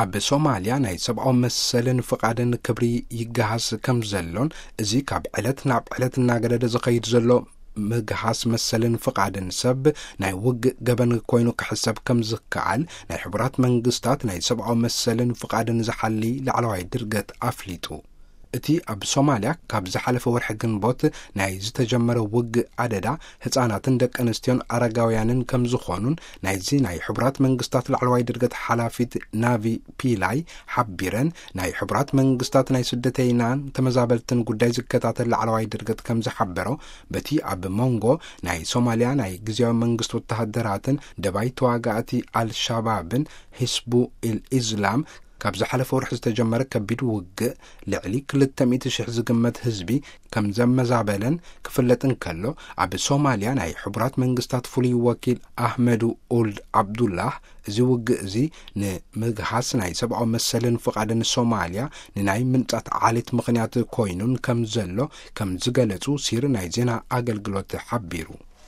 ኣብ ሶማልያ ናይ ሰብኣዊ መሰልን ፍቓድን ክብሪ ይገሃስ ከም ዘሎን፣ እዚ ካብ ዕለት ናብ ዕለት እናገደደ ዝኸይድ ዘሎ ምግሃስ መሰልን ፍቓድን ሰብ ናይ ውግእ ገበን ኮይኑ ክሕሰብ ከም ዝከኣል ናይ ሕቡራት መንግስታት ናይ ሰብኣዊ መሰልን ፍቓድን ዝሓሊ ላዕለዋይ ድርገት ኣፍሊጡ። እቲ ኣብ ሶማልያ ካብ ዝሓለፈ ወርሒ ግንቦት ናይ ዝተጀመረ ውግእ ኣደዳ ህጻናትን ደቂ ኣንስትዮን ኣረጋውያንን ከም ዝኾኑን ናይዚ ናይ ሕቡራት መንግስታት ላዕለዋይ ድርገት ሓላፊት ናቪ ፒላይ ሓቢረን፣ ናይ ሕቡራት መንግስታት ናይ ስደተይናን ተመዛበልትን ጉዳይ ዝከታተል ላዕለዋይ ድርገት ከም ዝሓበሮ፣ በቲ ኣብ መንጎ ናይ ሶማልያ ናይ ግዜያዊ መንግስቲ ወተሃደራትን ደባይ ተዋጋእቲ ኣልሻባብን ሂስቡ ኢል ኢስላም ካብ ዝሓለፈ ወርሒ ዝተጀመረ ከቢድ ውግእ፣ ልዕሊ ክልተ ሚእቲ ሽሕ ዝግመት ህዝቢ ከም ዘመዛበለን ክፍለጥ እንከሎ፣ ኣብ ሶማልያ ናይ ሕቡራት መንግስታት ፍሉይ ወኪል ኣህመዱ ኡልድ ዓብዱላህ፣ እዚ ውግእ እዚ ንምግሃስ ናይ ሰብኣዊ መሰልን ፍቓድን ሶማልያ ንናይ ምንጻት ዓሌት ምኽንያት ኮይኑን ከም ዘሎ ከም ዝገለጹ ሲር ናይ ዜና ኣገልግሎት ሓቢሩ።